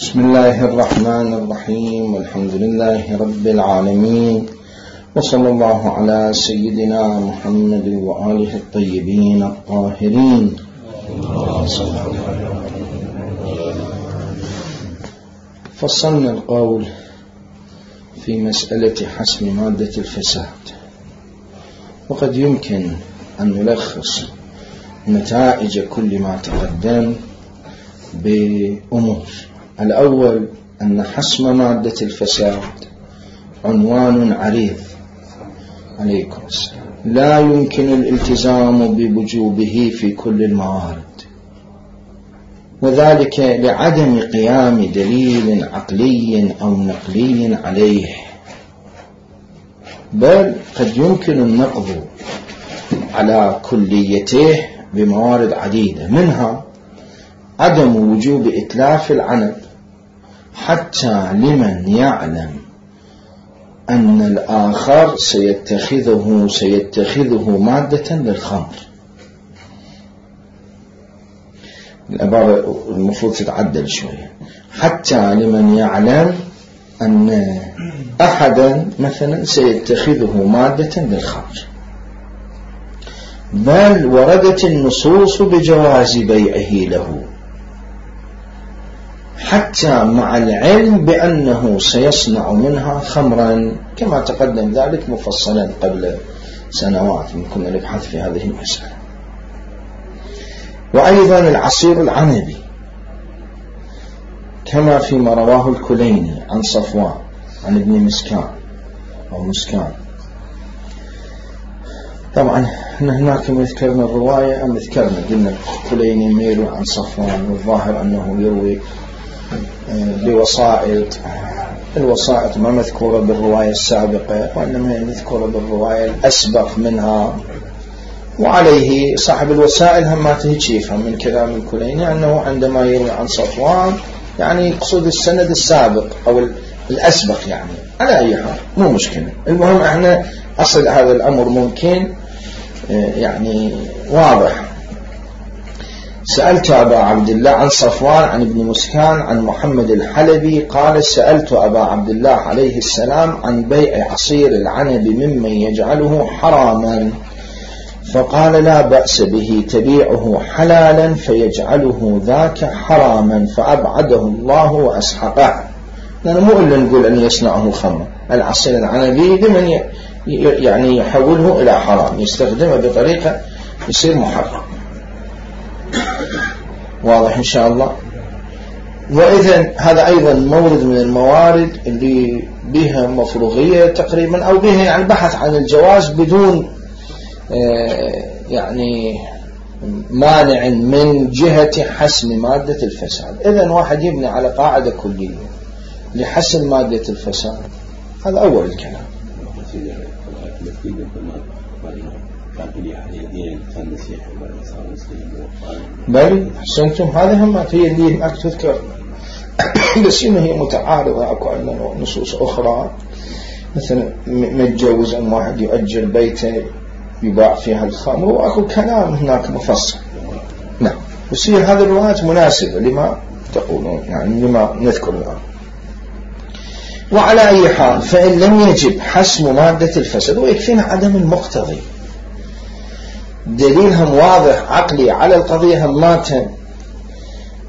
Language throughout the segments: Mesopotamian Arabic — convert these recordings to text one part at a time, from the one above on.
بسم الله الرحمن الرحيم، والحمد لله رب العالمين، وصلى الله على سيدنا محمد وآله الطيبين الطاهرين. فصلنا القول في مسألة حسم مادة الفساد، وقد يمكن أن نلخص نتائج كل ما تقدم بأمور. الأول أن حسم مادة الفساد عنوان عريض عليكم السلام، لا يمكن الالتزام بوجوبه في كل الموارد، وذلك لعدم قيام دليل عقلي أو نقلي عليه، بل قد يمكن النقض على كليته بموارد عديدة، منها عدم وجوب إتلاف العنب حتى لمن يعلم أن الآخر سيتخذه مادة للخمر. العبارة المفروض تتعدل شوية، حتى لمن يعلم أن أحدا مثلا سيتخذه مادة للخمر، بل وردت النصوص بجواز بيعه له حتى مع العلم بأنه سيصنع منها خمرا، كما تقدم ذلك مفصلا قبل سنوات كنا نبحث في هذه المسألة. وأيضا العصير العنبي كما فيما رواه الكليني عن صفوان عن ابن مسكان أو مسكان. طبعا هناك ذكرنا الرواية أم ذكرنا قلنا الكليني ميل عن صفوان، والظاهر أنه يروي بوسائط، الوسائط ما مذكورة بالرواية السابقة وإنما هي مذكورة بالرواية الأسبق منها، وعليه صاحب الوسائل هم ما تهيج يفهم من كلام الكليني أنه عندما يروي عن صفوان يعني يقصد السند السابق أو الأسبق، يعني على أي حال مو مشكلة. المهم احنا أصل هذا الأمر ممكن يعني واضح. سألت أبا عبد الله عن صفوان عن ابن مسكان عن محمد الحلبي قال: سألت أبا عبد الله عليه السلام عن بيع عصير العنب ممن يجعله حراما، فقال: لا بأس به، تبيعه حلالا فيجعله ذاك حراما، فأبعده الله وأسحقه. لأنه مو إلا نقول أن يصنعه خمر، العصير العنبي لمن يعني يحوله إلى حرام، يستخدمه بطريقة يصير محرم. واضح إن شاء الله. وإذن هذا أيضا مورد من الموارد اللي بها مفروغية تقريبا، أو بها يعني بحث عن الجواز بدون يعني مانع من جهة حسم مادة الفساد. إذن واحد يبني على قاعدة كلية لحسم مادة الفساد، هذا أول الكلام. بل حسنتم، هذه هم هي اللي هناك تذكر، بس إنه هي متعارضة. أكو عندنا نصوص أخرى مثلا متجوز أن واحد يؤجر بيته يباع فيها الخمر، وأكو كلام هناك مفصل. نعم، بس هي هذه الروايات مناسبة لما تقولون، يعني لما نذكر الآن. وعلى أي حال، فإن لم يجب حسم مادة الفساد، ويكفينا عدم المقتضي، دليلهم واضح عقلي على القضية هماتهم.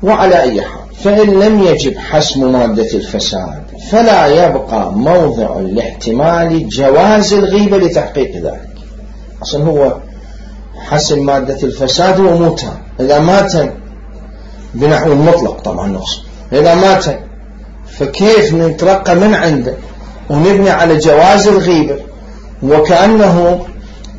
وعلى أي حال، فإن لم يجب حسم مادة الفساد فلا يبقى موضع لاحتمال جواز الغيبة لتحقيق ذلك. أصلا هو حسم مادة الفساد وموتا، إذا مات بنحو المطلق طبعا نقصد، إذا مات فكيف نترقى من عنده ونبني على جواز الغيبة وكأنه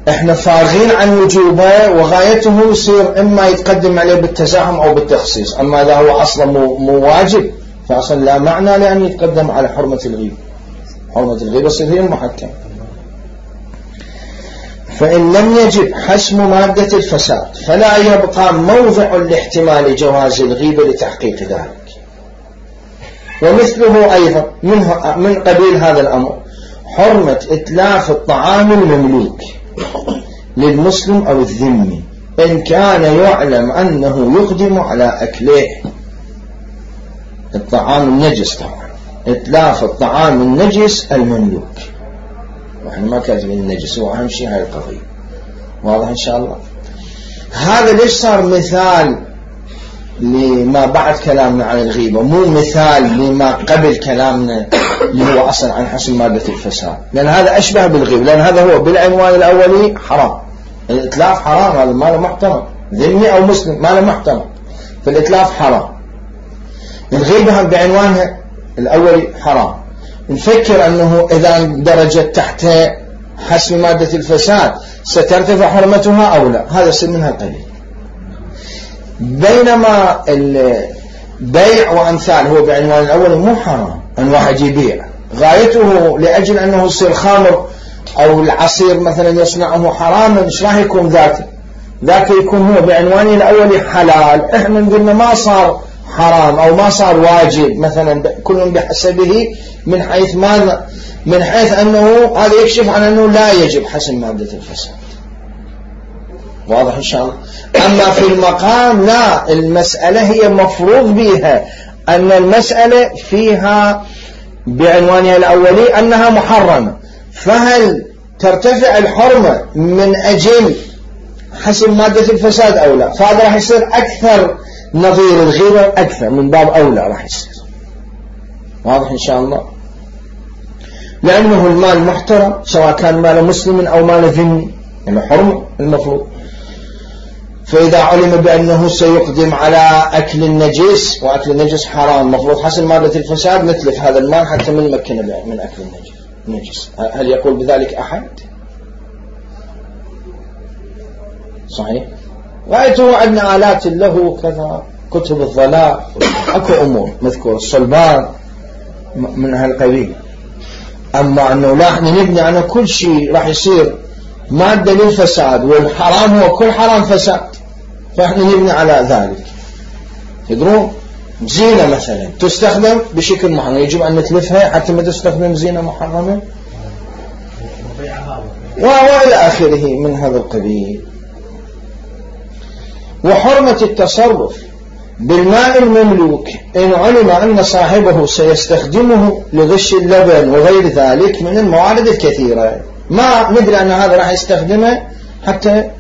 احنا فارغين عن وجوبه، وغايته يصير اما يتقدم عليه بالتزاحم او بالتخصيص. اما اذا هو اصلا مو واجب فاصلا لا معنى لان يتقدم على حرمة الغيبة. حرمة الغيبة صديق محكم. فإن لم يجب حسم مادة الفساد فلا يبقى موضع لاحتمال جواز الغيبة لتحقيق ذلك. ومثله أيضا من قبيل هذا الأمر حرمة إتلاف الطعام المملوك للمسلم أو الذمي إن كان يعلم أنه يقدم على أكله. الطعام النجس طبعا، إتلاف الطعام النجس المملوك، وإحنا ما كاتبين النجس، هو أهم شيء هاي القضية. واضح إن شاء الله؟ هذا ليش صار مثال لما بعد كلامنا عن الغيبة، مو مثال لما قبل كلامنا اللي هو أصلا عن حسم مادة الفساد، لأن هذا أشبه بالغيبة، لأن هذا هو بالعنوان الأولي حرام، الإتلاف حرام، هذا ما له محترم، ذمي أو مسلم ما له محترم، فالإتلاف حرام. الغيبة بعنوانها الأولي حرام، نفكر أنه إذا درجت تحت حسم مادة الفساد سترتفع حرمتها أو لا، هذا سن منها قليل. بينما البيع وأمثال هو بعنوان الأول مو حرام، أن واحد يبيع غايته لأجل أنه يصير خمر أو العصير مثلا يصنعه حراما، إيش راح يكون ذاك يكون هو بعنوانه الأول حلال. إحنا قلنا ما صار حرام أو ما صار واجب مثلا، كل بحسبه من حيث ماذا؟ من حيث أنه هذا يكشف عن أنه لا يجب حسم مادة الفساد. واضح إن شاء الله؟ أما في المقام لا، المسألة هي مفروض بها أن المسألة فيها بعنوانها الأولي أنها محرمة، فهل ترتفع الحرمة من أجل حسم مادة الفساد أو لا؟ فهذا راح يصير أكثر نظير الغيبة، أكثر من باب أولى راح يصير. واضح إن شاء الله؟ لأنه المال محترم سواء كان مال مسلم أو مال ذمي، يعني حرمة المفروض. فإذا علم بأنه سيقدم على أكل النجس، وأكل النجس حرام، مفروض حسم مادة الفساد نتلف هذا المال حتى من مكنه من أكل النجس. هل يقول بذلك أحد؟ صحيح؟ رأيته عندنا آلات له كذا، كتب الضلاء، أكو أمور مذكور، الصلبان من هالقبيل. أما أنه لا، احنا نبني على كل شيء راح يصير مادة للفساد، والحرام هو كل حرام فساد، فاحنا نبني على ذلك. تدرون زينة مثلا تستخدم بشكل محرم، يجب أن نتلفها حتى ما تستخدم زينة محرمة وإلى آخره من هذا القبيل. وحرمة التصرف بالماء المملوك إن علم أن صاحبه سيستخدمه لغش اللبن وغير ذلك من الموارد الكثيرة، ما ندري أن هذا راح يستخدمه حتى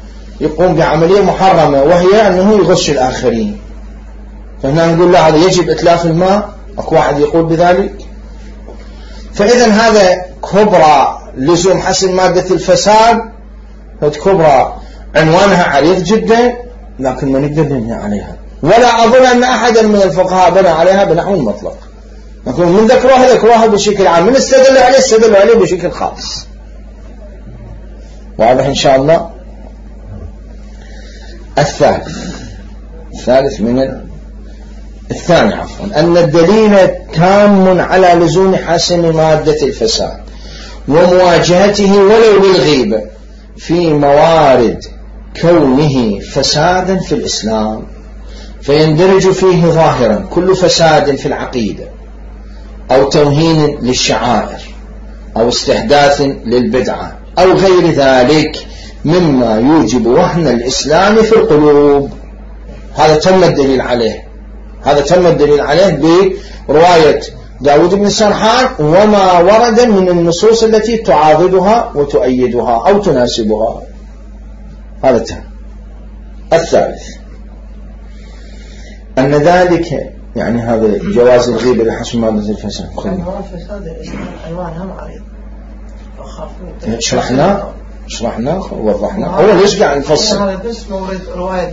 يقوم بعملية محرمة، وهي أنه يغش الآخرين، فهنا نقول لا، هذا يجب إتلاف الماء. أكو واحد يقول بذلك. فإذا هذا كبرى لزوم حسم مادة الفساد، كبرى عنوانها عريض جدا، لكن ما نقدر نبني عليها، ولا أظن أن أحدا من الفقهاء بنى عليها بنحو المطلق، لكن من ذكروها بشكل عام، من استدلوا عليه بشكل خاص. واضح إن شاء الله؟ الثالث من الثاني عفوا، أن الدليل تام على لزوم حسم مادة الفساد ومواجهته ولو بالغيبة في موارد كونه فسادا في الإسلام، فيندرج فيه ظاهرا كل فساد في العقيدة أو توهين للشعائر أو استحداث للبدعة أو غير ذلك مما يوجب وهن الإسلام في القلوب. هذا تم الدليل عليه برواية داود بن سرحان وما ورد من النصوص التي تعاضدها وتؤيدها أو تناسبها. هذا تم. الثالث أن ذلك يعني هذا جواز الغيبة لحسم مادة الفساد. عنوان فساد الإسلام عنوانها معرض، شرحنا ووضحنا. هو ليش قاعد نفصل؟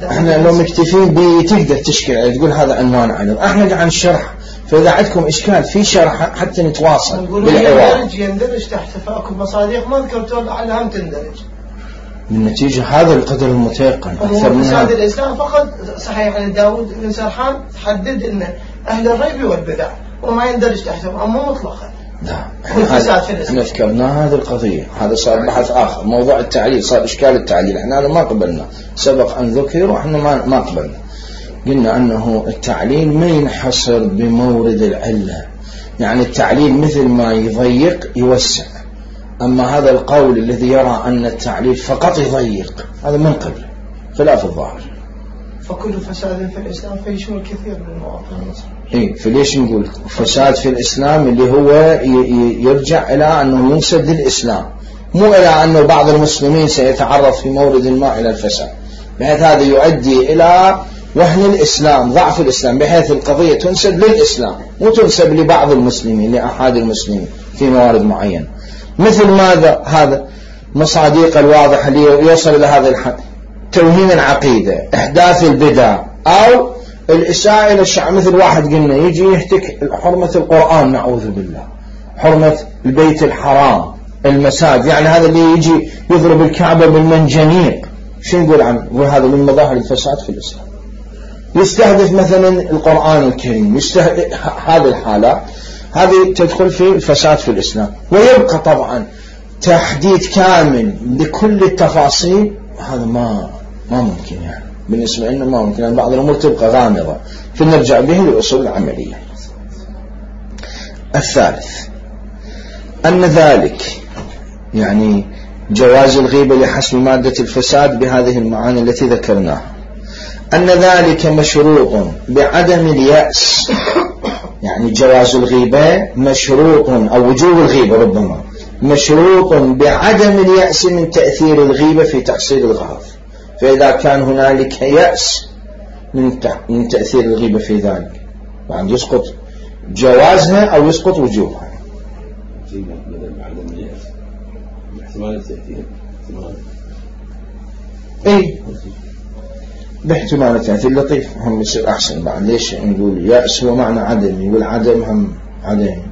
احنا لو مكتفين بتقدر تشكل تقول هذا عنوان عرض، احنا قاعد نشرح، فإذا عندكم إشكال في شرح حتى نتواصل بالحوار. يندرج تحت فأكو مصادق ما ذكرتوا لعلها تندرج. بالنتيجة هذا القدر المتيقن أكثر من فساد الإسلام فقط. صحيح أن داود بن سرحان تحدد أن أهل الريب والبدع وما يندرج تحتهم، أما مطلقا. نعم، احنا ذكرنا هذه القضية، هذا صار بحث آخر. موضوع التعليل صار إشكال التعليل، احنا ما قبلنا، سبق أن ذكر وإحنا ما قبلنا. قلنا أنه التعليل ما ينحصر بمورد العلة، يعني التعليل مثل ما يضيق يوسع، أما هذا القول الذي يرى أن التعليل فقط يضيق هذا من قبل خلاف الظاهر. فكل فساد في الإسلام فيشمل كثير من المواطنين. فليش نقول فساد في الإسلام اللي هو يرجع إلى أنه ينسب للإسلام، مو إلى أنه بعض المسلمين سيتعرض في مورد ما إلى الفساد، بحيث هذا يؤدي إلى وهن الإسلام، ضعف الإسلام، بحيث القضية تنسب للإسلام مو تنسب لبعض المسلمين، لأحد المسلمين في موارد معينة. مثل ماذا؟ هذا مصادق الواضحة اللي يوصل إلى هذا الحد، توهين العقيدة، إحداث البدع، أو الإساءة إلى الشعب. مثل واحد قلنا يجي يهتك حرمة القرآن، نعوذ بالله، حرمة البيت الحرام، المساجد، يعني هذا اللي يجي يضرب الكعبة بالمنجنيق، شو نقول عنه؟ وهذا من مظاهر الفساد في الإسلام. يستهدف مثلا القرآن الكريم، هذه الحالات هذه تدخل في الفساد في الإسلام. ويبقى طبعا تحديد كامل لكل التفاصيل، هذا ما ممكن، يعني بالنسبة لنا ما ممكن، يعني بعض الأمور تبقى غامضة، فنرجع به للأصول العملية. الثالث أن ذلك يعني جواز الغيبة لحسب مادة الفساد بهذه المعاني التي ذكرناها، أن ذلك مشروط بعدم اليأس، يعني جواز الغيبة مشروط، أو وجوب الغيبة ربما مشروط بعدم اليأس من تأثير الغيبة في تحصيل الغرض. فإذا كان هنالك يأس من تأثير الغيبة في ذلك، يعني يسقط جوازها أو يسقط وجوبها. باحتمال التأثير لطيف هم يصير أحسن. بعد ليش نقول يأس هو معنى عدمي، والعدم هم عدمي.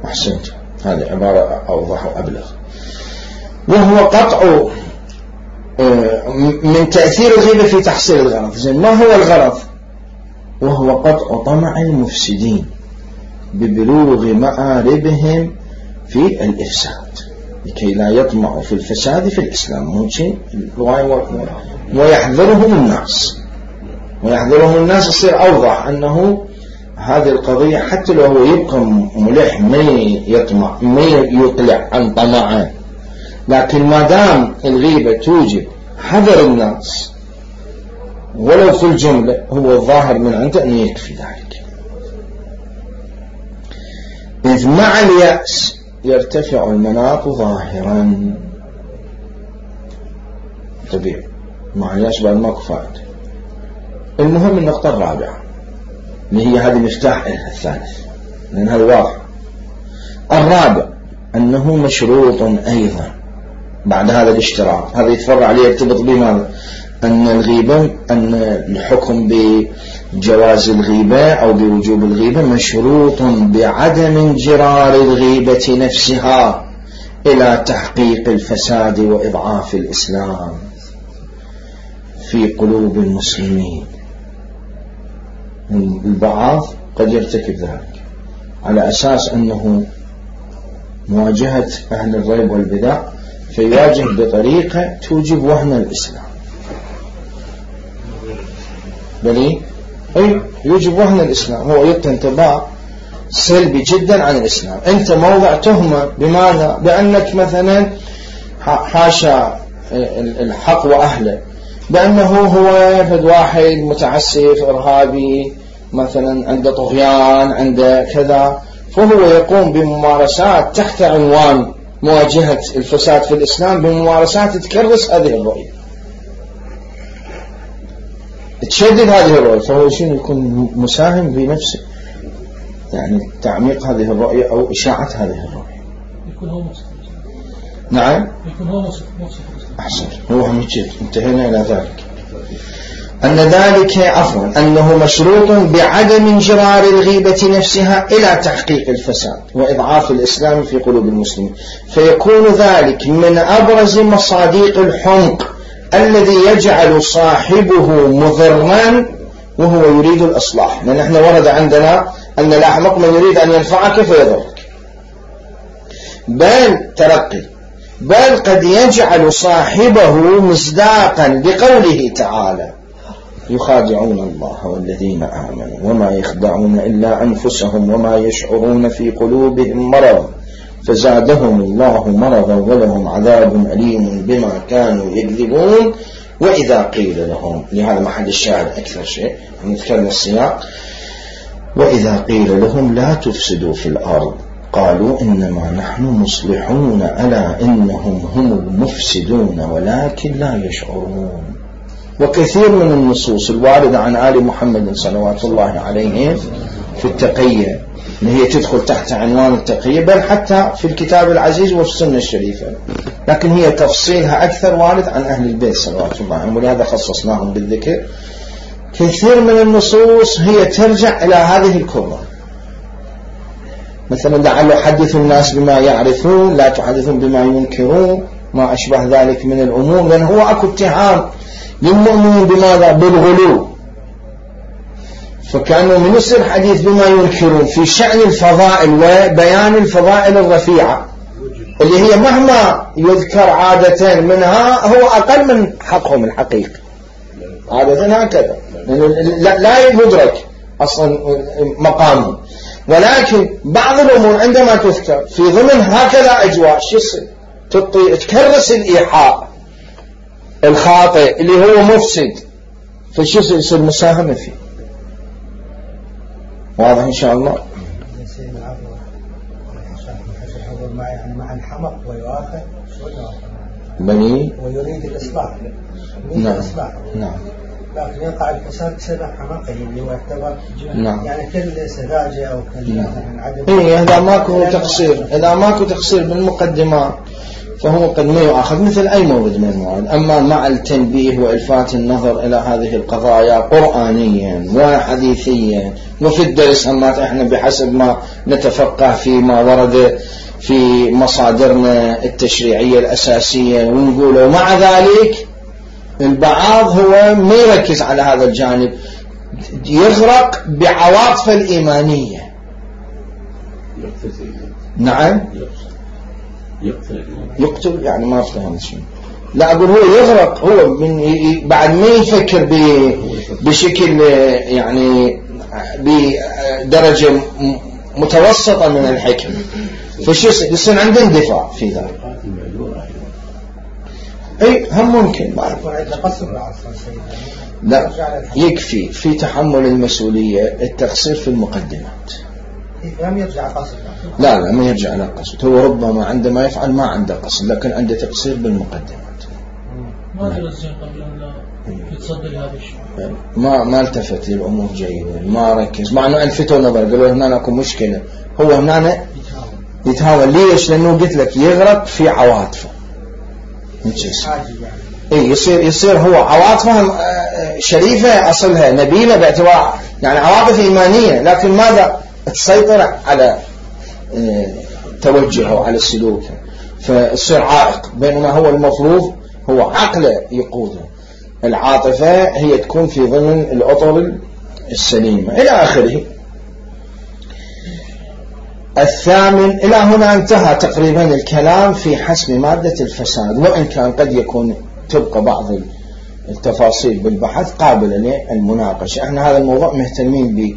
أحسنت، هذه عبارة أوضح وأبلغ. وهو قطع من تأثير الغيبة في تحصيل الغرض. زين، ما هو الغرض؟ وهو قطع طمع المفسدين ببلوغ مآربهم في الإفساد، لكي لا يطمعوا في الفساد في الإسلام. موجين ويحذرهم الناس يصير أوضح أنه هذه القضية حتى لو هو يبقى ملح ما يطمع، ما يطلع عن طمعه، لكن ما دام الغيبة توجب حذر الناس ولو في الجملة، هو الظاهر من عنده أن يكفي ذلك. إذ مع اليأس يرتفع المناط ظاهرا، طبيعي مع اليأس بعد ماكو فائدة. المهم النقطة الرابعة اللي هي هذه مفتاح الثالث، لأن هذا واضح. الرابع أنه مشروط أيضا بعد هذا الاشتراط، هذا يتفرع عليه يرتبط بماذا؟ أن الغيبة، أن الحكم بجواز الغيبة أو بوجوب الغيبة مشروط بعدم انجرار الغيبة نفسها إلى تحقيق الفساد وإضعاف الإسلام في قلوب المسلمين. البعض قد يرتكب ذلك على أساس أنه مواجهة أهل الريب والبدع، فيواجه بطريقة توجب وهن الإسلام، بل يوجب وهن الإسلام. هو يلقي انطباع سلبي جدا عن الإسلام. أنت موضع تهمة، بماذا؟ بأنك مثلا حاشا الحق وأهله، بأنه هو فد واحد متعسف إرهابي مثلا، عنده طغيان، عنده كذا، فهو يقوم بممارسات تحت عنوان مواجهة الفساد في الإسلام، بممارسات تكرس هذه الرؤية، تشدد هذه الرؤية، فهو شنو يكون مساهم بنفسه، يعني تعميق هذه الرؤية أو إشاعة هذه الرؤية. يكون هو مصف. نعم، يكون هو مصف. أحسن، هو هم يجيب. انتهينا إلى ذلك. أن ذلك أنه مشروط بعدم انجرار الغيبة نفسها إلى تحقيق الفساد وإضعاف الإسلام في قلوب المسلمين، فيكون ذلك من أبرز مصادق الحمق الذي يجعل صاحبه مضرا وهو يريد الإصلاح. لأن احنا ورد عندنا أن الأحمق من يريد أن ينفعك فيضرك، بل قد يجعل صاحبه مصداقا لقوله تعالى: يخادعون الله والذين آمنوا وما يخدعون إلا أنفسهم وما يشعرون في قلوبهم مرض فزادهم الله مرضا ولهم عذاب أليم بما كانوا يكذبون وإذا قيل لهم، لهذا محل الشاهد أكثر شيء نذكرنا السياق، وإذا قيل لهم لا تفسدوا في الأرض قالوا إنما نحن مصلحون ألا إنهم هم المفسدون ولكن لا يشعرون. وكثير من النصوص الواردة عن آل محمد صلوات الله عليهم في التقية اللي هي تدخل تحت عنوان التقية، بل حتى في الكتاب العزيز وفي السنة الشريفة، لكن هي تفصيلها أكثر وارد عن أهل البيت صلوات الله عليهم، ولهذا خصصناهم بالذكر. كثير من النصوص هي ترجع إلى هذه الكرة، مثلا لعله حدثوا الناس بما يعرفون لا تحدثون بما ينكرون، ما أشبه ذلك من الأمور، لأن هو أكو اتهام للمؤمنين بماذا؟ بالغلو، فكانوا من يصير حديث بما ينكرون في شأن الفضائل وبيان الفضائل الرفيعة اللي هي مهما يذكر عادة منها هو أقل من حقهم الحقيقي عادة هكذا، لا يدرك أصلا مقامه. ولكن بعض الأمور عندما تذكر في ضمن هكذا أجواء شو يصير؟ تكرس الإيحاء الخاطئ اللي هو مفسد، فشو يصير؟ مساهمة فيه. واضح إن شاء الله؟ مع الحمق ويؤاخذ بني ويريد الإصلاح. نعم نعم، لكن يقع الفساد بسبب حماقه اللي هو يعتبر نعم. يعني كل سذاجة أو كل نعم. عدم. إذا ماكو تقصير، إذا ماكو تقصير بالمقدمات فهو قد ما يؤخذ مثل أي مورد من المواد. أما مع التنبيه وإلفات النظر إلى هذه القضايا قرآنيا وحديثيا وفي الدرس همات إحنا بحسب ما نتفقه فيما ورد في مصادرنا التشريعية الأساسية ونقوله، ومع ذلك البعض هو ما يركز على هذا الجانب، يغرق بعواطف الإيمانية. نعم يقتل يعني ما أفهم شيء، لا أقول هو يغرق، هو من بعد ما يفكر بشكل يعني بدرجة متوسطة من الحكم، فشو يصير عنده اندفاع في ذلك. اي هم ممكن بعد لا يكفي في تحمل المسؤولية التقصير في المقدمات، لا ما يرجع على قصد، هو ربما عندما يفعل ما عنده قصد لكن عنده تقصير بالمقدمات. ما درسين قبل أن لا يتصدر هذا الشيء، ما التفت للأمور جيدا، ما ركز، مع أنه ألفتوا نظر قالوا هنا أكو مشكلة، هو هنا يتهاون. ليش؟ لأنه قلت لك يغرق في عواطفه، يصير هو عواطفه شريفة أصلها نبيلة باعتبار يعني عواطف إيمانية، لكن ماذا؟ تسيطر على توجهه على سلوكه، فيصير عائق، بينما هو المفروض هو عقله يقوده، العاطفة هي تكون في ضمن الأطر السليمة إلى آخره. الثامن، إلى هنا انتهى تقريبا الكلام في حسم مادة الفساد، وإن كان قد يكون تبقى بعض التفاصيل بالبحث قابلة للمناقشة. احنا هذا الموضوع مهتمين به،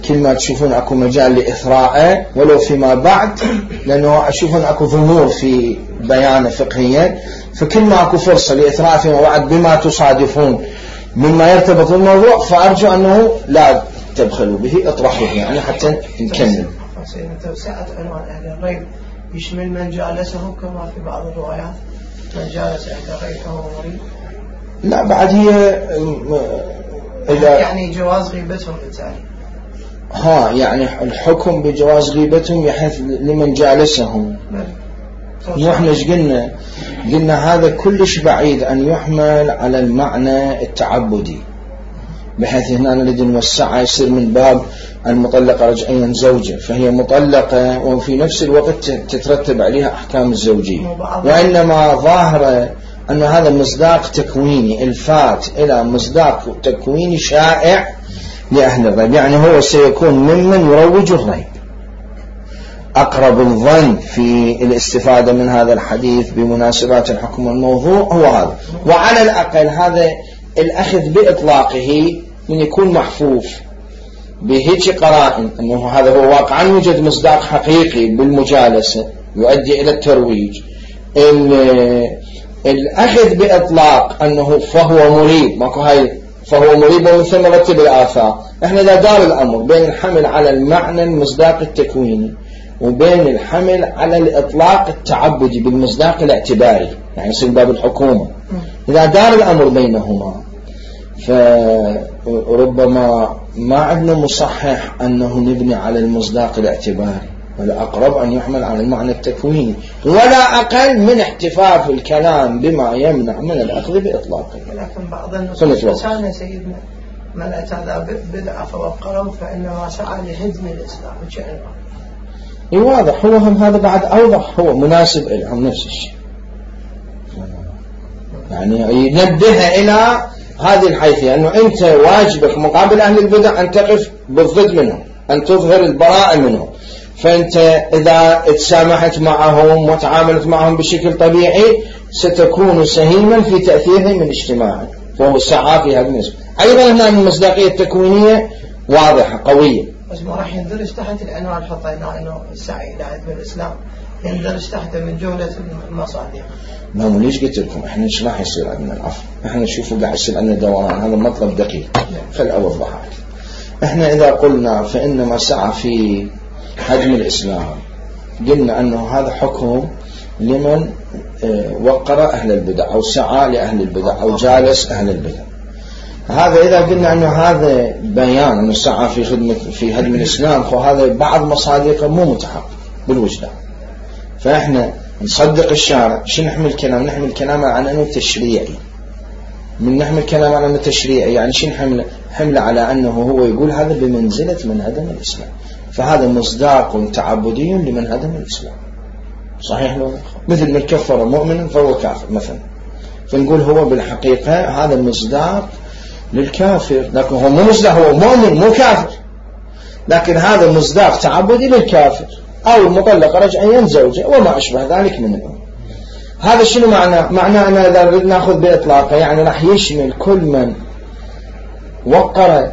كل ما تشوفون اكو مجال لإثراءه ولو فيما بعد، لأنه أشوفون اكو ضمور في بيانه فقهيا، فكل ما اكو فرصة لإثراء فيما بعد بما تصادفون مما يرتبط بالموضوع فأرجو أنه لا تبخلوا به، اطرحوه يعني حتى نكمل. توسعة عنوان أهل الريب يشمل من جالسه كما في بعض الروايات، من جالس أهل الريب فهو مريض. لا بعد هي يعني جواز غيبتهم بالتالي يعني الحكم بجواز غيبتهم يحث لمن جالسهم. واحنا ايش قلنا هذا كلش بعيد أن يحمل على المعنى التعبدي، بحيث هنا نريد نوسعها يصير من باب المطلقة رجعيا زوجة فهي مطلقة وفي نفس الوقت تترتب عليها أحكام الزوجية، وإنما ظاهرة أن هذا مصداق تكويني، الفات إلى مصداق تكويني شائع لأهل الريب، يعني هو سيكون ممن يروج الريب. أقرب الظن في الاستفادة من هذا الحديث بمناسبات الحكم والموضوع هو هذا، وعلى الأقل هذا الأخذ بإطلاقه من يكون محفوف بهيك قرائن أنه هذا هو واقعا يوجد مصداق حقيقي بالمجالسة يؤدي إلى الترويج، الأخذ بإطلاق أنه فهو مريب، ماكو هاي فهو مريب ومن ثم رتب الآثار. احنا إذا دار الأمر بين الحمل على المعنى المصداق التكويني وبين الحمل على الإطلاق التعبدي بالمصداق الاعتباري، يعني يصير باب الحكومة، إذا دار الأمر بينهما فربما ما عندنا مصحح أنه نبني على المصداق الاعتباري، والأقرب أن يحمل على المعنى التكويني، ولا أقل من احتفاف الكلام بما يمنع من الأخذ بإطلاقه. لكن بعض النصوص كان سيدنا من أتى بدعة فوقره فإنما سعى لهدم الإسلام وشأنه. واضح، هو هم هذا بعد أوضح، هو مناسب لهم نفس الشيء، يعني ينبه إلى هذه الحيثية أنه أنت واجبك مقابل أهل البدع أن تقف بالضد منهم، أن تظهر البراءة منهم. فأنت إذا تسامحت معهم وتعاملت معهم بشكل طبيعي ستكون سهيما في تأثيرهم من اجتماعك، فهو سعى في هذا النسبة. أيضا هنا المصداقية التكوينية واضحة قوية، بس ما راح يندرج تحت العنوان حطينا أنه السعي إلى هدم الإسلام، يندرج تحت من جملة المصادر. نعم، ليش قلت لكم احنا ايش راح يصير عندنا العفو؟ احنا نشوفوا قاعد يصير عندنا دوران، هذا مطلب دقيق. خل اوضحها. احنا اذا قلنا فانما سعى في هدم الاسلام، قلنا انه هذا حكم لمن وقر اهل البدع او سعى لاهل البدع او جالس اهل البدع. هذا اذا قلنا انه هذا بيان انه سعى في هدم الاسلام، فهذا بعض مصادقه مو متحقق بالوجدان. فاحنا نصدق الشارع. شو نحمل كلام؟ نحمل كلامه عن أنه تشريعي. من نحمل كلامه عن أنه تشريعي يعني شو حمله على أنه هو يقول هذا بمنزلة من هدم الإسلام، فهذا مصداق تعبدي لمن هدم الإسلام. صحيح لو مثل من كفر مؤمنا فهو كافر مثلا، فنقول هو بالحقيقة هذا مصداق للكافر، لكن هو مو مصداق، هو مؤمن مو كافر، لكن هذا مصداق تعبدي للكافر أو المطلقة رجعيا زوجة وما أشبه ذلك من الأمور. هذا شنو معناه أننا إذا نأخذ بإطلاقه يعني راح يشمل كل من وقر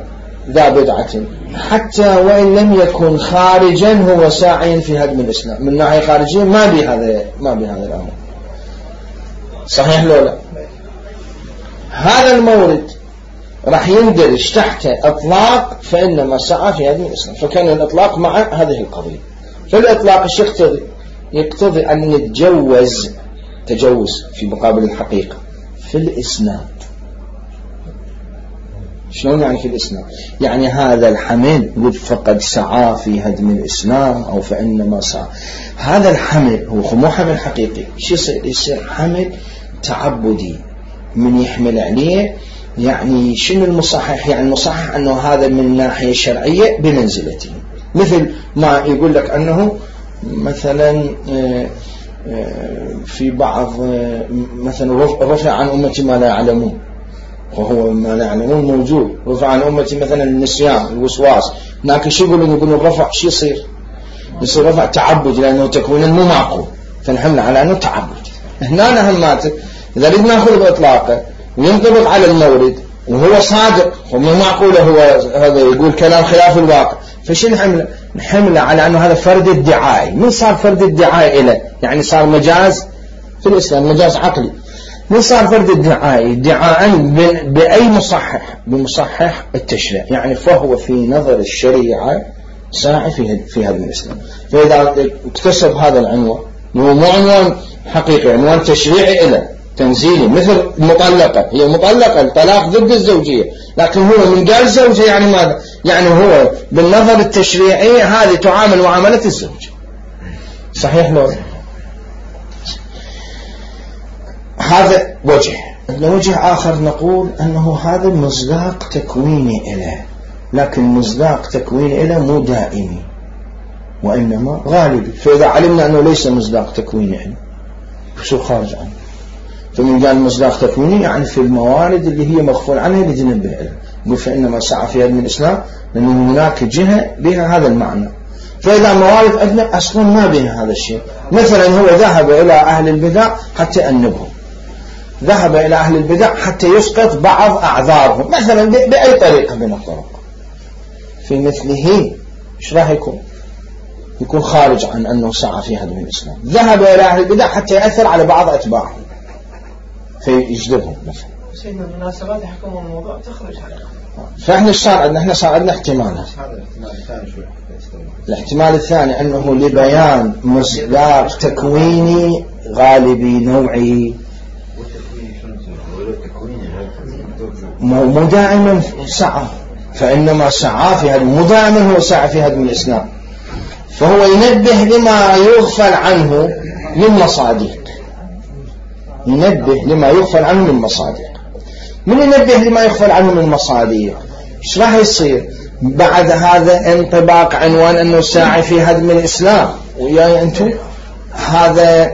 ذا بدعة حتى وإن لم يكن خارجا هو ساعيا في هدم الإسلام من ناحية خارجية، ما بهذا الأمر. صحيح لو لا؟ هذا المورد راح يندرج تحت إطلاق فإنما سعى في هدم الإسلام، فكان الإطلاق مع هذه القضية. فالإطلاق ايش يقتضي؟ يقتضي أن تجوز في مقابل الحقيقة في الإسناد. شلون يعني في الإسناد؟ يعني هذا الحمل يقول فقد سعى في هدم الإسلام أو فإنما سعى، هذا الحمل هو مو حمل حقيقي. شو يصير حمل تعبدي من يحمل عليه. يعني شنو المصحح؟ يعني المصحح أنه هذا من ناحية شرعية بمنزلته، مثل ما يقول لك أنه مثلا في بعض مثلا رفع عن أمتي ما لا يعلمون، وهو ما لا يعلمون موجود. رفع عن أمتي مثلا النسيان الوسواس، لكن شو يقولون الرفع شو يصير رفع تعبد لأنه تكوينا مو معقول، فنحمل على أنه تعبد. هنا هماتك إذا نريد نأخذ بإطلاقه وينطبق على المورد وهو صادق ومو معقوله، هو هذا يقول كلام خلاف الواقع، فشو نحمله على أنه هذا فرد ادعائي. من صار فرد ادعائي إله؟ يعني صار مجاز في الإسلام، مجاز عقلي. من صار فرد ادعائي؟ ادعاء بأي مصحح؟ بمصحح التشريع، يعني فهو في نظر الشريعة ساعي في هذا الإسلام. فإذا اكتسب هذا العنوان، هو مو عنوان حقيقي، عنوان تشريعي إله تنزيلي، مثل المطلقة، هي مطلقة الطلاق ضد الزوجية، لكن هو من قال زوجة يعني ماذا؟ يعني هو بالنظر التشريعي هذه تعامل معاملة الزوج. صحيح لو؟ هذا وجه. وجه آخر نقول أنه هذا مصداق تكويني إله، لكن مصداق تكويني إله مو دائمي وإنما غالبي. فإذا علمنا أنه ليس مصداق تكويني إله شو خارج عنه؟ فمن قال مصداق تكويني يعني في الموارد اللي هي مغفول عنها اللي تنبه لها، يقول فإنما سعى في هدم الإسلام لأنه هناك جهة بها هذا المعنى. فإذا موارد أدنى أصلا ما بها هذا الشيء. مثلا هو ذهب إلى أهل البدع حتى أنبهم، ذهب إلى أهل البدع حتى يسقط بعض أعذارهم مثلا بأي طريقة من الطرق، في مثله إيش راح يكون خارج عن أنه سعى في هدم الإسلام. ذهب إلى أهل البدع حتى يأثر على بعض أتباعهم، فيجذبهم مثلا. سيدنا المناسبات يحكمون الموضوع تخرج على فإحنا إيش صار عندنا؟ إحنا صار عندنا احتمالات. الاحتمال الثاني أنه لبيان مصداق تكويني غالبي نوعي، مو دائما سعى، فإنما سعى في هذا، مو دائما هو سعى في هدم الإسلام، فهو ينبه لما يغفل عنه من مصادق، ينبه لما يغفل عنه من مصادق. من ينبه لما يغفل عنه من مصادق ايش راح يصير بعد هذا؟ انطباق عنوان انه ساعي في هدم الإسلام، وياي انتم هذا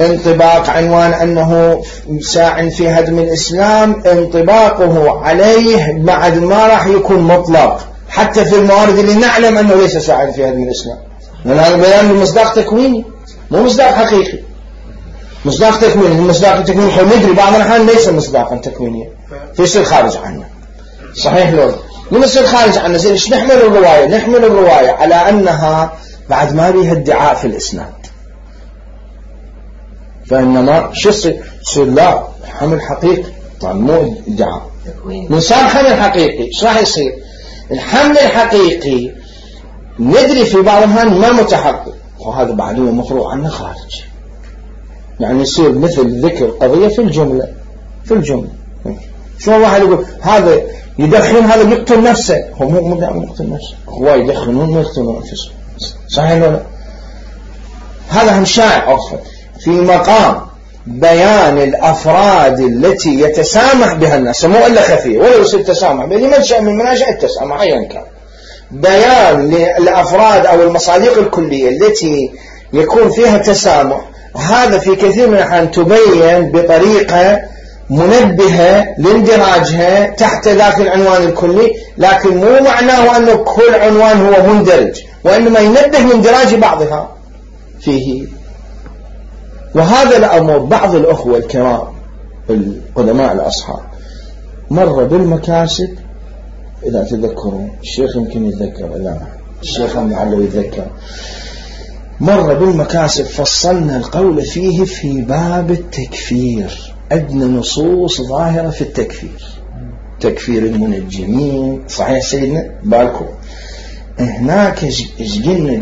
انطباق عنوان أنه ساع في هدم الإسلام، انطباقه عليه بعد ما راح يكون مطلق حتى في الموارد اللي نعلم أنه ليس ساع في هدم الإسلام، لأن هذا بيان مصداق تكويني مو مصداق حقيقي. مصداق تكويني، المصداق التكويني ندري بعض الأحيان ليس مصداقا تكوينيا فيصير خارج عنه، صحيح لو من يصير خارج عنه. زين ايش نحمل الرواية؟ نحمل الرواية على أنها بعد ما بيها ادعاء في الإسناد، فإنما شو يصير لا حمل حقيقي، طبعا مو ادعاء، من صار حمل حقيقي ايش راح يصير؟ الحمل الحقيقي ندري في بعض الأحيان ما متحقق، وهذا بعد هو مفروض عنه خارج، يعني يصير مثل ذكر قضية في الجملة. في الجملة شو واحد يقول هذا يدخن، هذا يقتل نفسه، هو مو دائما يقتل نفسه، هو يدخنون ما يقتلون أنفسهم، صحيح ولا؟ هذا هم شائع أصلا في مقام بيان الأفراد التي يتسامح بها الناس، مو إلا خفية ولا يصير تسامح به لمن شاء من مناشئ التسامح أيا كان، بيان للأفراد أو المصادق الكلية التي يكون فيها تسامح. هذا في كثير من الأحيان تبين بطريقة منبهة لاندراجها تحت ذاك العنوان الكلي، لكن مو معناه أنه كل عنوان هو مندرج، وإنما ينبه لاندراج بعضها فيه. وهذا الأمر بعض الأخوة الكرام القدماء الأصحاب مر بالمكاسب، إذا تذكرون الشيخ يمكن يتذكر، لا الشيخ المعلو يتذكر، مر بالمكاسب فصلنا القول فيه في باب التكفير. عندنا نصوص ظاهرة في التكفير، تكفير المنجمين، صحيح سيدنا بالكم هناك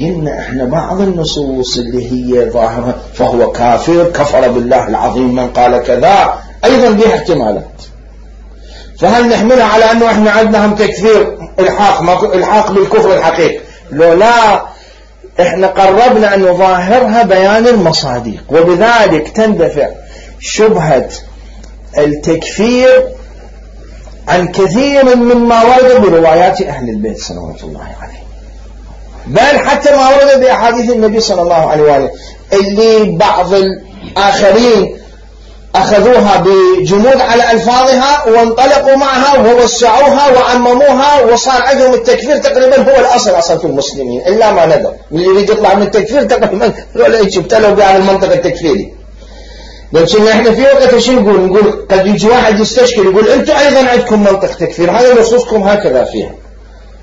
قلنا احنا بعض النصوص اللي هي ظاهرة فهو كافر، كفر بالله العظيم من قال كذا، ايضا بها احتمالات. فهل نحملها على انه احنا عندنا هم تكفير الحاق بالكفر الحقيقي؟ لو لا، احنا قربنا ان نظاهرها بيان المصادق، وبذلك تندفع شبهة التكفير عن كثير مما ورد بروايات أهل البيت صلوات الله عليه، بل حتى ما ورد بأحاديث النبي صلى الله عليه وآله اللي بعض الآخرين أخذوها بجمود على ألفاظها وانطلقوا معها ووسعوها وعمموها، وصار عندهم التكفير تقريبا هو الأصل أصلا في المسلمين، إلا ما ندر اللي يريد يطلع من التكفير تقريبا ولا يبتلوا بهذا المنطق التكفيري. لكن احنا في وقت شو نقول قد يجي واحد يستشكل يقول انتم ايضا عندكم منطق تكفير، هذا نصوصكم هكذا فيها،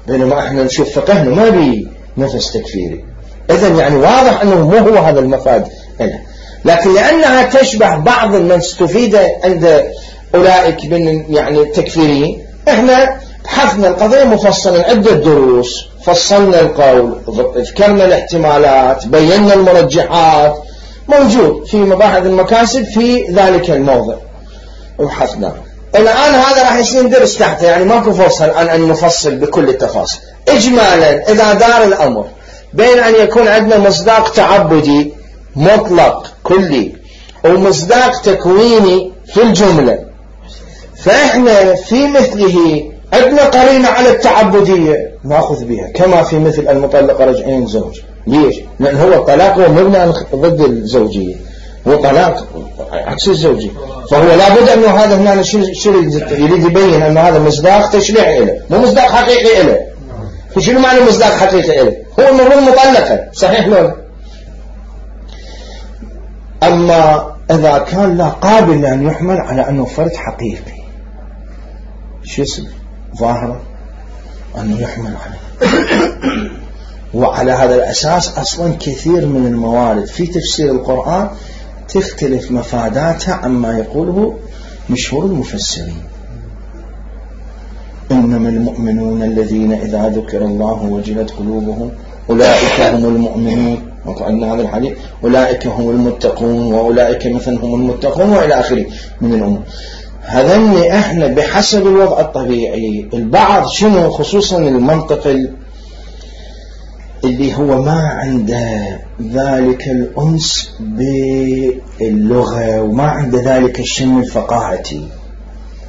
بينما احنا نشوف فقهنا ما بي نفس تكفيري. اذن يعني واضح انه مو هو هذا المفاد له، لكن لانها تشبه بعض من استفيد عند اولئك من يعني التكفيريين، احنا بحثنا القضية مفصلا، عدة دروس فصلنا القول، ذكرنا الاحتمالات، بينا المرجحات، موجود في مباحث المكاسب في ذلك الموضع وبحثنا. الآن هذا راح يصير درس تحته، يعني ماكو فرصة الآن أن نفصل بكل التفاصيل. إجمالا إذا دار الأمر بين أن يكون عندنا مصداق تعبدي مطلق كلي ومصداق تكويني في الجملة، فإحنا في مثله عندنا قرينة على التعبدية نأخذ بها، كما في مثل المطلقة رجعين زوج. ليش؟ لأن هو الطلاق هو مبنى ضد الزوجية، هو طلاق عكس الزوجية، فهو لابد أنه هذا هنا شو يريد يبين أن هذا مصداق تشريعي له، مو مصداق حقيقي له. شنو معنى مصداق حقيقي له؟ هو المفروض مطلقة، صحيح لولا؟ أما إذا كان لا قابل لأن يحمل على أنه فرد حقيقي، شو يصير؟ ظاهرة أنه يحمل عليه. وعلى هذا الأساس أصلا كثير من الموارد في تفسير القرآن تختلف مفاداتها عما يقوله مشهور المفسرين إنما المؤمنون الذين إذا ذكر الله وجلت قلوبهم أولئك هم المؤمنون، وقعنا هذا الحديث أولئك هم المتقون وأولئك مثل هم المتقون وإلى آخره من الأمور. هذا احنا بحسب الوضع الطبيعي البعض شنو خصوصا المنطق اللي هو ما عنده ذلك الأنس باللغة وما عنده ذلك الشم الفقاهتي،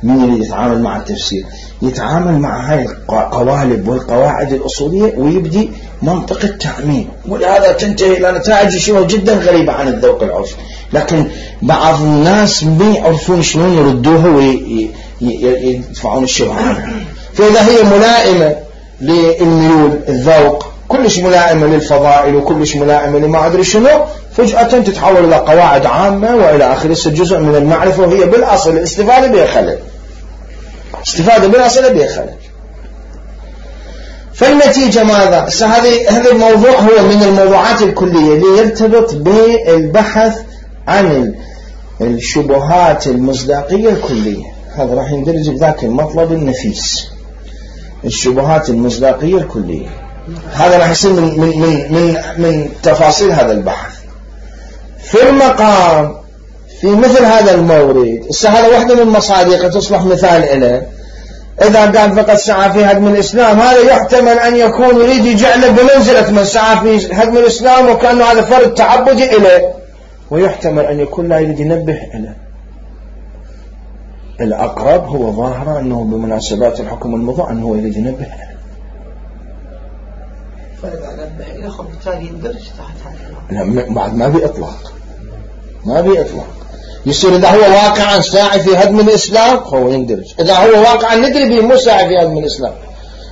من اللي يتعامل مع التفسير يتعامل مع هاي القوالب والقواعد الأصولية ويبدي منطق التعميم، ولهذا تنتهي إلى نتائج شبه جدا غريبة عن الذوق العرفي. لكن بعض الناس ما يعرفون شلون يردوها ويدفعون الشبهة عنها. فإذا هي ملائمة للميول الذوق، كلش ملائمة للفضائل وكلش ملائمة لما أدري شنو، فجأة تتحول إلى قواعد عامة وإلى آخره، جزء من المعرفة وهي بالأصل الاستفادة بها خلل، استفادة بالأصل بها خلل. فالنتيجة ماذا؟ هذا الموضوع هو من الموضوعات الكلية اللي يرتبط بالبحث عن الشبهات المصداقية الكلية. هذا راح يندرج بذاك المطلب النفيس، الشبهات المصداقية الكلية. هذا راح يصير من تفاصيل هذا البحث. في المقام في مثل هذا المورد، هذا واحدة من مصادقه تصلح مثال إله. إذا قال فقد سعى في هدم الإسلام، هذا يحتمل أن يكون يريد يجعله بمنزلة من سعى في هدم الإسلام وكأنه هذا فرد تعبدي إله، ويحتمل أن يكون لا يريد ينبه إله. الأقرب هو ظاهرة أنه بمناسبات الحكم المضى أنه يريد ينبه إله. فإذا نبه إله بالتالي يندرج تحت هذا. لا، بعد ما بإطلاق، ما بإطلاق. يصير إذا هو واقعا ساعي في هدم الإسلام هو يندرج، إذا هو واقعا ندري به مو ساعي في هدم الإسلام،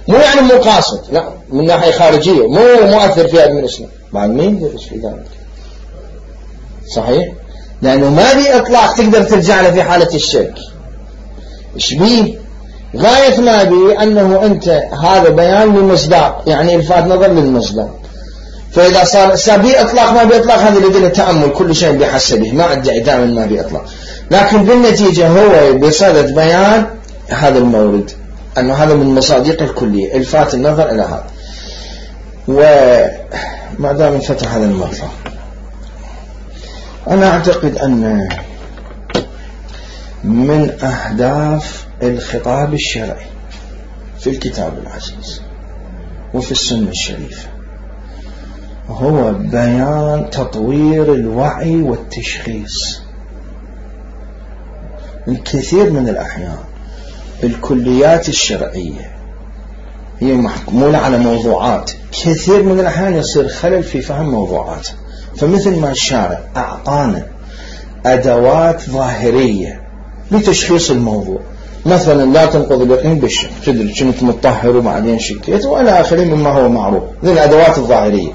مو يعني مو قاصد، لا من ناحية خارجية مو مؤثر في هدم الإسلام، بعد ما يندرج في ذلك. صحيح؟ لأنه ما بإطلاق تقدر ترجع له في حالة الشك. إيش بيه؟ غاية ما بيه أنه أنت هذا بيان للمصداق، يعني الفات نظر للمصداق. فإذا صار بإطلاق ما بإطلاق هذا لدينا تأمل، كل شيء بحسبه، ما أدعي دائما ما بإطلاق، لكن بالنتيجة هو بصدد بيان هذا المورد أنه هذا من مصادق الكلية، الفات النظر إلى هذا. وما دام انفتح هذا المطلب، أنا أعتقد أن من أهداف الخطاب الشرعي في الكتاب العزيز وفي السنة الشريفة هو بيان تطوير الوعي والتشخيص. الكثير من الأحيان الكليات الشرعية هي محمولة على موضوعات، كثير من الأحيان يصير خلل في فهم موضوعات. فمثل ما الشارع أعطانا أدوات ظاهرية لتشخيص الموضوع، مثلا لا تنقض اليقين بالشك، تدري كنت مطهر وبعدين شكيت وإلى آخره مما هو معروف، ذي الأدوات الظاهرية.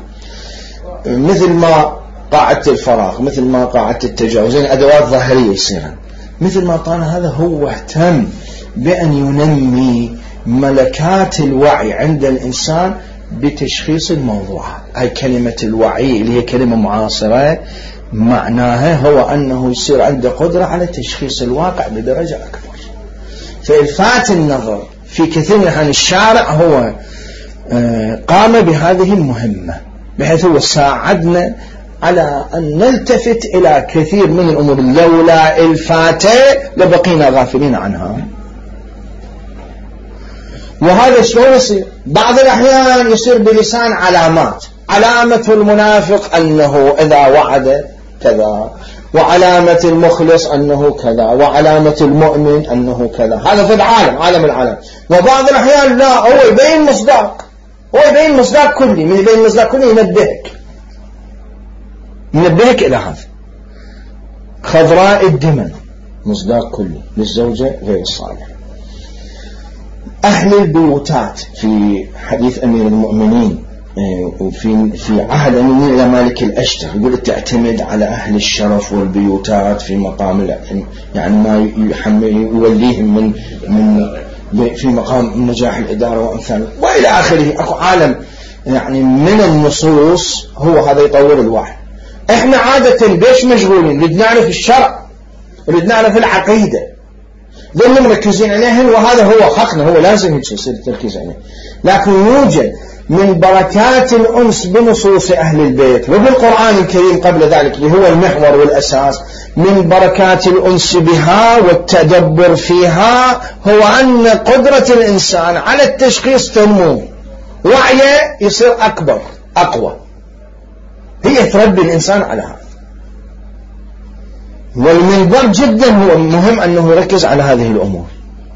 مثل ما قاعدة الفراغ، مثل ما قاعدة التجاوز، أدوات ظاهرية يصيرا. مثل ما قال هذا هو اهتم بأن ينمي ملكات الوعي عند الإنسان بتشخيص الموضوعات. هاي كلمة الوعي اللي هي كلمة معاصرة، معناها هو أنه يصير عنده قدرة على تشخيص الواقع بدرجة أكبر. فإلفات النظر في كثير من الأحيان الشارع هو قام بهذه المهمة، بحيث هو ساعدنا على أن نلتفت إلى كثير من الأمور لولا الفاتة لبقينا غافلين عنها. وهذا شلون يصير؟ بعض الأحيان يصير بلسان علامات، علامة المنافق أنه إذا وعد كذا، وعلامة المخلص أنه كذا، وعلامة المؤمن أنه كذا. هذا في العالم، عالم العالم. وبعض الأحيان لا، هو يبين مصداق، هو يبين مصداق كلي، من يبين مصداق كلي ينبهك إلى هذا. خضراء الدمن مصداق كلي للزوجة غير الصالحة. أهل البيوتات في حديث أمير المؤمنين وفي عهد أمير المؤمنين إلى مالك الأشتر يقول تعتمد على أهل الشرف والبيوتات في مقام يعني ما يوليهم من في مقام نجاح الإدارة وأمثاله وإلى آخره. أكو عالم يعني من النصوص هو هذا يطور الوعي. إحنا عادة بيش مشغولين، نريد نعرف الشرع، نريد نعرف العقيدة، ظل مركزين عليهن، وهذا هو حقنا، هو لازم يصير التركيز عليه. لكن يوجد من بركات الأنس بنصوص أهل البيت وبالقرآن الكريم قبل ذلك اللي هو المحور والأساس من بركات الأنس بها والتدبر فيها، هو أن قدرة الإنسان على التشخيص تنمو، وعيه يصير أكبر أقوى، هي تربي الإنسان على هذا. والمنبر جدا هو مهم أنه يركز على هذه الأمور،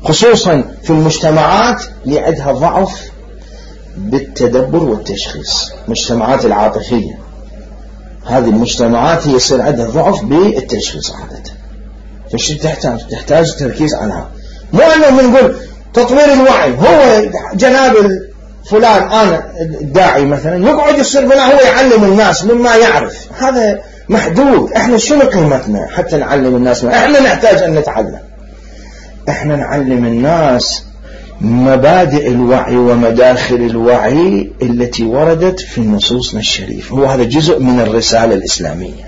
خصوصا في المجتمعات اللي عندها ضعف بالتدبر والتشخيص، مجتمعات العاطفية، هذه المجتمعات هي يصير عندها ضعف بالتشخيص عادة. فش تحتاج تركيز عليها، مو أنه نقول تطوير الوعي. هو جناب فلان أنا الداعي مثلا يقعد يصير بلا هو يعلم الناس مما يعرف، هذا محدود. احنا شنو قيمتنا حتى نعلم الناس؟ احنا نحتاج أن نتعلم، احنا نعلم الناس مبادئ الوعي ومداخل الوعي التي وردت في نصوصنا الشريفة. هو هذا جزء من الرسالة الإسلامية،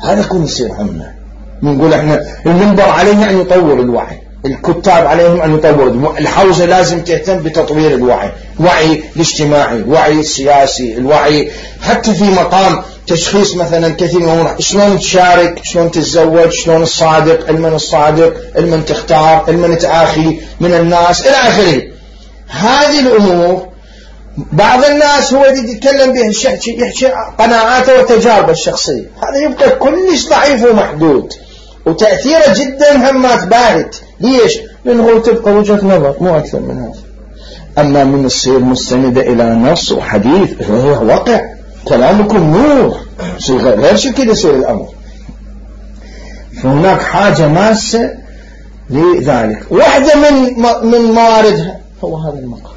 هذا كل يصير همنا. نقول احنا المنبر عليه أن يطور الوعي، الكتاب عليهم أن يطوروا، الحوزة لازم تهتم بتطوير الوعي، وعي الاجتماعي، وعي السياسي، الوعي حتى في مقام تشخيص مثلا كثير من الأمور، شلون تشارك، شلون تتزوج، شلون الصادق، المن الصادق، المن تختار، المن تآخي من الناس إلى آخره. هذه الأمور بعض الناس هو يتكلم به يحكي قناعاته وتجاربه الشخصية، هذا يبقى كلش ضعيف ومحدود، وتأثيره جدا همات باهت. ليش؟ لأنه تبقى وجهة نظر مو أكثر من هذا. أما من الصير مستندة إلى نص وحديث، هو واقع، كلامكم نور، غير شيء كده يصير الأمر. فهناك حاجة ماسة لذلك. واحدة من مواردها هو هذا المقام،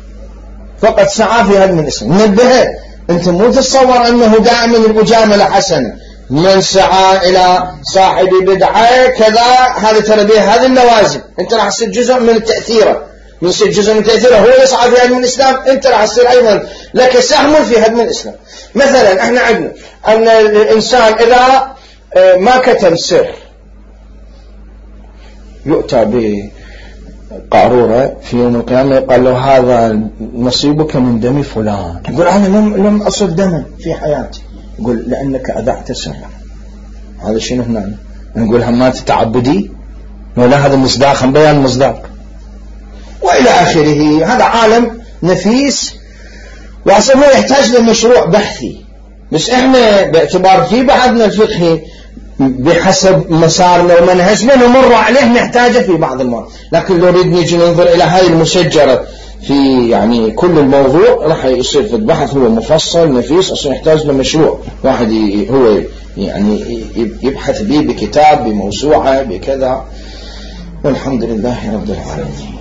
فقد سعى في هذا من الإسلام. نبهه، أنت مو تتصور أنه دائما المجاملة حسنة، من سعى إلى صاحب بدعة كذا، هذا تربيه، هذه اللوازم. أنت راح تصير جزء من التأثير، من يصير جزء من تأثيره، هو يسعى في هدم الإسلام، أنت راح تصير أيضا لك سهم في هدم الإسلام. مثلا احنا عندنا أن الإنسان إذا ما كتم سر يؤتى بقارورة في يوم القيامة يقال له هذا نصيبك من دم فلان، يقول أنا لم أصب دما في حياتي، يقول لأنك أذعت سرا. هذا شنو هنا؟ نقول همات تعبدي ولا هذا مصداق، بيان مصداق وإلى آخره. هذا عالم نفيس وأصلا يحتاج لمشروع بحثي، بس احنا باعتبار في بعضنا الفقهي بحسب مسارنا ومنهجنا نمر عليه نحتاجه في بعض المرات. لكن لو نريد نيجي ننظر إلى هاي المشجرة في يعني كل الموضوع راح يصير في البحث هو مفصل نفيس، أصلا يحتاج لمشروع واحد هو يعني يبحث به بكتاب بموسوعة بكذا. والحمد لله رب العالمين.